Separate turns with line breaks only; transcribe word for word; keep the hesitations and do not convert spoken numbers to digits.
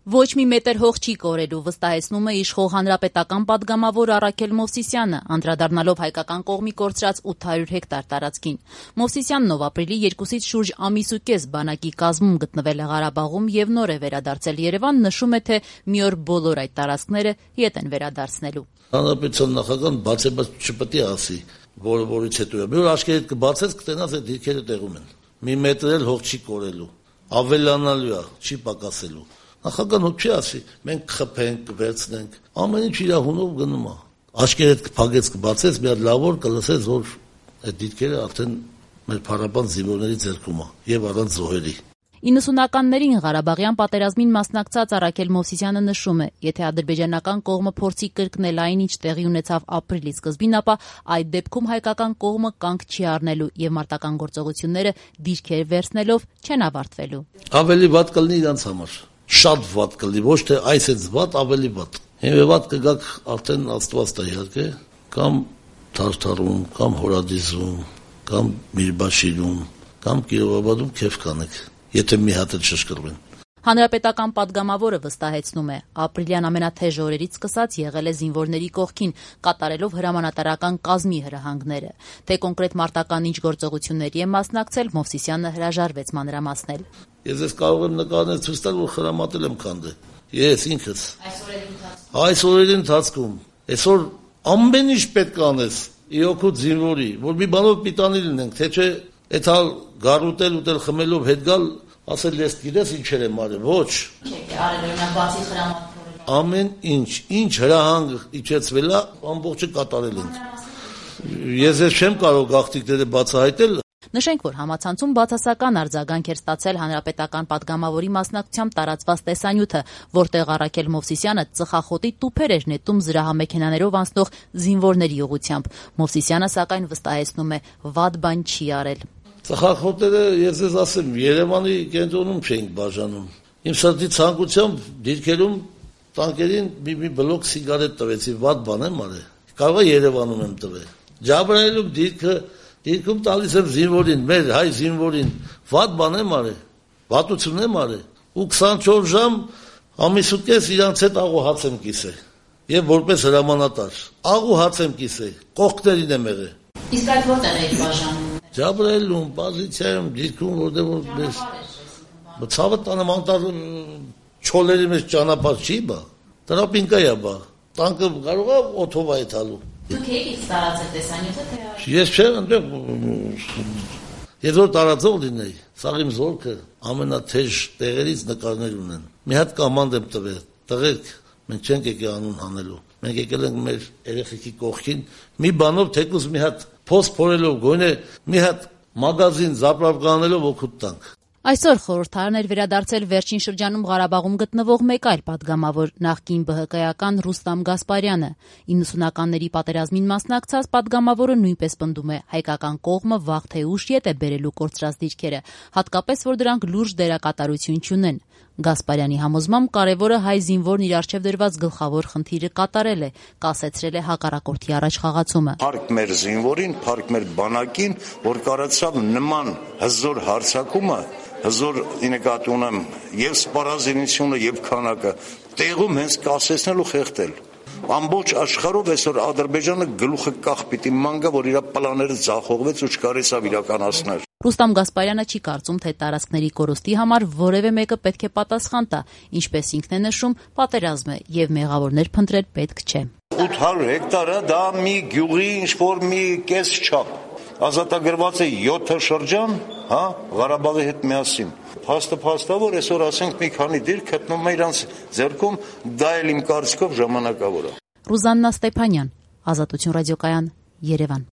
Ոչ մի մետր հող չի կորելու, վստահեցնում է իշխող հանրապետական պատգամավոր Առաքել Մովսիսյանը, անդրադառնալով հայկական կողմի կորցրած ութ հարյուր հեկտար տարածքին։ Մովսիսյանն, ով ապրիլի երկուսից շուրջ ամիս ու կես բանակի կազմում գտնվել է Ղարաբաղում եւ նոր է վերադարձել Երևան, նշում է, թե մի օր բոլոր այդ տարածքները ետ են վերադարձնելու։
Հանրապետության նախագահան բացեբաց չպետք է ասի, որը որից հետո է։ Մի օր աչքերդ կբացես, կտենաս այդ դիրքերը տեղում են։ Մի մետր էլ հող չի կորելու, ավելանալու է, չի պակասելու։ Նախագահան հոգ չի ասի, մենք կխփենք, կվերցնենք, ամեն ինչ իր հունով գնում է։ Աչքերդ կփակեց, կբացես, մի հատ լավ օր կլսես, որ այդ դիրքերը արդեն մեր փառաբան զինվորների ձեռքում է եւ առանց զոհերի։
իննսունականներին Ղարաբաղյան պատերազմին մասնակցած Առաքել Մովսիսյանը նշում է, եթե ադրբեջանական կողմը փորձի կրկնել այն, ինչ տեղի ունեցավ ապրիլի սկզբին, ապա այդ դեպքում հայկական կողմը կանգ չի առնելու եւ մարտական գործողությունները դիրքեր վերցնելով չեն ավարտվելու։
Ավելի վատ կլինի իրանց համար, շատ վատ կլինի, ոչ թե այսից վատ, ավելի վատ։ Եվ վատ կգաք արդեն Աստված տա իհարկե, կամ Թարթարում, կամ Հորադիզում, կամ Միրբաշիրում, կամ Կիրովաբադում քեֆ կանեք, եթե մի հատ էլ շշկրվեն։
Հանրապետական պատգամավորը վստահեցնում է, ապրիլյան ամենաթեժ օրերից սկսած եղել է զինվորների կողքին, կատարելով հրամանատարական կազմի հրահանգները։ Թե կոնկրետ մարտական ինչ գործողությունների է մասնակցել, Մովսիսյանը հրաժարվեց մանրամասնել։
Ես ես կարող եմ նկարներ ցույց տալ, որ խրամատել եմ քանդը։ Ես ինքս։ Այս օրերի ընթացքում այսօր ամեն ինչ պետք է անես իօքուտ զինվորի, որ մի բանով պիտանի լինենք, թե չէ այդ հալ գարուտել ուտել խմելով հետ գալ, ասել ես գիտես ինչեր եմ արել, ոչ։ Ամեն ինչ, ինչ հրահանգ իջեցվել է, ամբողջը կատարել ենք։ Ես ես չեմ կարող գաղտնիքները բացահայտել։
Նշենք, որ համացանցում բացասական արձագանք էր ստացել հանրապետական պատգամավորի մասնակցությամբ տարածված տեսանյութը, որտեղ Առաքել Մովսիսյանը ծխախոտի տուփեր էր նետում զրահամեքենաներով անցնող զինվորների ուղղությամբ։ Մովսիսյանը սակայն վստահեցնում է, վատ բան չի արել։
Ծխախոտները, ես ես ասեմ, Երևանի կենտրոնում չէինք բաժանում։ Իմ սրտի ցանկությամբ դիրքերում տանկերին մի մի բլոկ սիգարետ տվեցի, վատ բան եմ արել։ Կարող է Երևանում եմ տվել։ Ջաբրայելում դիրքը Դիրքում տալիս եմ զինվորին, մեր հայ զինվորին, վատ բան եմ արել, վատություն եմ արել, ու քսանչորս ժամ ամիս ու կես իրանց հետ աղու հաց եմ կիսել, եւ որպես հրամանատար, աղու հաց եմ կիսել, կողքներին եմ եղել։
Իսկ այդ որտեղ եք բաժանում։
Ջաբրայելում, պոզիցիայում, դիրքում, որտեղ որ մեզ ցավը տանեմ անտառ չոլերի մեջ ճանապարհ չի բա, տրապինկա է բա, տանկը կարող է օթով այթալու։
Դուք եք տարածել տեսանյութը, թե
Ես չեմ ընդեղ, ես որ տարածող լինեի, սաղ իմ զորքը ամենաթեժ տեղերից նկարներ ունեն։ Մի հատ կամանդ եմ տվել, տղերք, մենք չենք եկել անուն հանելու, մենք եկել ենք մեր երեխեքի կողքին, մի բանով թեկուզ մի հատ փոս փորելով, գոնե մի հատ մագազին զապրապկանելով օգուտ տանք։
Այսօր խորհրդարան էր վերադարձել վերջին շրջանում Ղարաբաղում գտնվող մեկ այլ պատգամավոր, նախկին ԲՀԿ-ական Ռուստամ Գասպարյանը։ իննսունականների պատերազմին մասնակցած պատգամավորը նույնպես պնդում է, հայկական կողմը վաղ թե ուշ ետ է բերելու կորցրած դիրքերը, հատկապես որ դրանք լուրջ դերակատարություն չունեն։ Գասպարյանի համոզմամբ կարևորը հայ զինվորն իր առջև դրված գլխավոր խնդիրը կատարել է, կասեցրել է հակառակորդի առաջ խաղացումը։
Փառք մեր զինվորին, փառք մեր բանակին, որ կարողացավ նման հզոր հարձակումը հզոր նկատի ունեմ եւ սպառազինությունը եւ քանակը տեղում հենց կասեցնել ու խեղդել։ Ամբողջ աշխարհով այսօր Ադրբեջանը գլուխը կախ պիտի մանգա, որ իր պլանները ձախողվեց ու չկարեցավ իրականացնել։
Ռուստամ Գասպարյանը չի կարծում, թե տարածքների կորստի համար որևէ մեկը պետք է պատասխան տա, ինչպես ինքն է նշում, պատերազմ է եւ մեղավորներ փնտրել պետք չէ։
ութ հարյուր հեկտարը դա մի գյուղի ինչ-որ մի կես չափ։ Ազատագրված է յոթ շրջան, հա, Ղարաբաղի հետ միասին։ Փաստը փաստա, որ այսօր ասենք մի քանի դիրք գտնում է իրանց ձեռքում, դա էլ իմ կարծիքով ժամանակավոր է։
Ռուզաննա Ստեփանյան, Ազատություն ռադիոկայան, Երևան։